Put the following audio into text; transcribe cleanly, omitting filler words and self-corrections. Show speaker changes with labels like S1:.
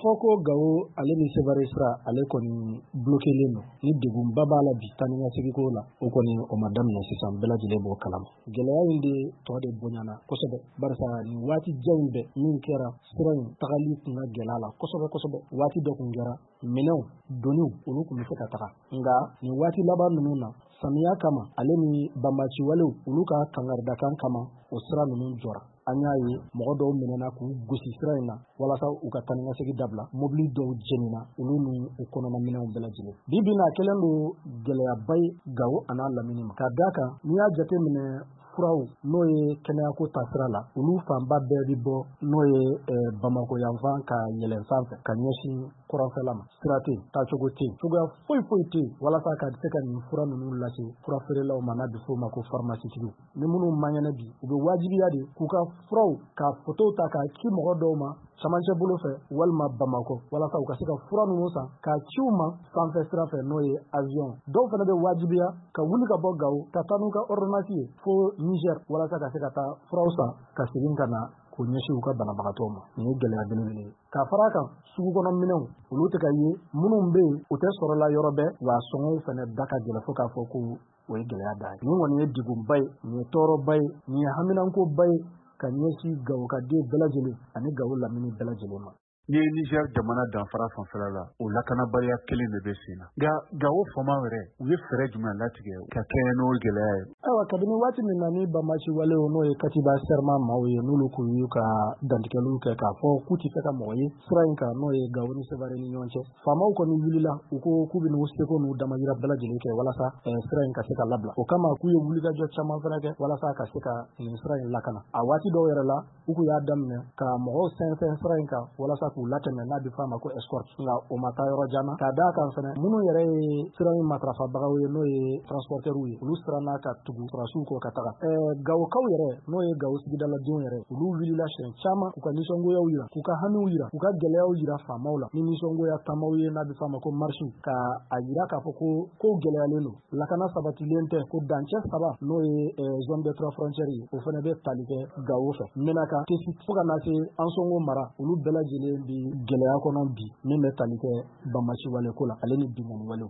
S1: fɔ ko Gawo ale ni Sevare sira ale kɔni blokelen don, ni degunba b'a la bi taa ni ka segin ko la, o kɔni o ma daminɛ sisan, bɛɛ lajɛlen b'o kalama. Gɛlɛya in de tɔ de bonyana kosɛbɛ, barisa nin waati jan in bɛɛ min kɛra, sira in tagali tun ka gɛlɛ a la kosɛbɛ kosɛbɛ. Waati dɔ tun kɛra, minɛnw doniw olu tun bɛ se ka taga, nka nin waati laban ninnu na, samiya kama ale ni banbaciwalew olu ka kangaridakan kama, o sira ninnu jɔra. An y'a ye mɔgɔ dɔw minɛna k'u gosi sira in na walasa u ka taa ni ka segin dabila. Mobili dɔw jenina, olu ni u kɔnɔna minɛnw bɛɛ lajɛlen. Bi bi in na, a kɛlen don gɛlɛyaba ye Gawo an'a lamini ma, ka d'a kan n'i y'a jateminɛ, furaw n'o ye kɛnɛyako taasira la, olu fanba bɛɛ bɛ bɔ n'o ye Bamakɔ yanfan ka yɛlɛn sanfɛ ka ɲɛsin kɔrɔnfɛla ma. Sira tɛ yen, taacogo tɛ yen, cogoya foyi foyi tɛ yen walasa ka se ka nin fura ninnu lase fura feerelaw ma, n'a bɛ f'o ma ko pharmacietigiw. Ni minnu man kɛnɛ bi, u bɛ wajibiya de k'u ka furaw ka fotow ta k'a ci mɔgɔ dɔw ma camancɛ bolo fɛ walima Bamakɔ, walasa u ka se ka fura ninnu san k'a ci u ma sanfɛ sira fɛ, n'o ye avion. Dɔw fana bɛ wajibiya ka wuli ka bɔ Gawo ka taa n'u ka ordonnance ye fo Niger, walasa ka se ka taa furaw san ka segin ka na k'u ɲɛsin u ka banabagatɔw ma. Nin ye gɛlɛya belebele ye. Ka fara a kan, sugu kɔnɔ minɛnw olu tɛ ka ye, minnu bɛ yen u tɛ sɔrɔ la yɔrɔ bɛɛ, wa sɔngɔw fana da ka gɛlɛn fo k'a fɔ ko o ye gɛlɛya dan ye. Nin kɔni ye degunba ye, nin ye tɔɔrɔba ye, nin ye haminankoba ye ka ɲɛsin Gawo ka den bɛɛ lajɛlen ani Gawo lamini bɛɛ lajɛlen ma.
S2: N'i ye Niger jamana danfara fanfɛla la, o lakanabaliya kelen de bɛ sen na. Nka Gawo faamaw yɛrɛ, u ye fɛɛrɛ jumɛn latigɛ ka kɛɲɛ n'o gɛlɛya ye?
S1: Ayiwa, kabini waati min na ni banbaci walew, n'o ye Katiba Serma maaw ye, n'olu kun y'u ka dantigɛliw kɛ k'a fɔ k'u tɛ fɛ ka mɔgɔ ye sira in kan, n'o ye Gawo ni Sevare ni ɲɔgɔn cɛ, faamaw kɔni wulila, u ko k'u bɛ n'u seko n'u damayira bɛɛ lajɛlen kɛ walasa sira in ka se ka labila. O kama, k'u ye wulikajɔ caman fana kɛ walasa ka se ka nin sira in lakana. A waati dɔw yɛrɛ la, u kun y'a daminɛ ka mɔgɔw sɛnsɛn sira in kan walasa k'u latɛmɛ, n'a bɛ f'a ma ko escorte, nka o ma taa yɔrɔ jan na, ka d'a kan fɛnɛ minnu yɛrɛ ye sira in matarafabagaw ye, n'o ye transporteurs ye, olu siranna ka tugu sɔrɔdasiw kɔ ka taga. Gawokaw yɛrɛ, n'o ye Gawo sigidaladenw yɛrɛ, olu wulila siɲɛ caman k'u ka nisɔngoyaw yira, k'u ka hamiw yira, k'u ka gɛlɛyaw yira faamaw la ni nisɔngoya taamaw ye, n'a bɛ f'a ma ko marche, ka a yira k'a fɔ ko kow gɛlɛyalen don, lakana sabatilen tɛ, ko dancɛ saba, n'o ye zone des trois frontières ye, o fana bɛ tali kɛ Gawo fɛ, Menaka, Tesi, fo ka na se Ansongo mara, olu bɛɛ lajɛlen bi gɛlɛya kɔnɔ bi min bɛ tali kɛ banbaci wale ko la ale ni binkanni walew.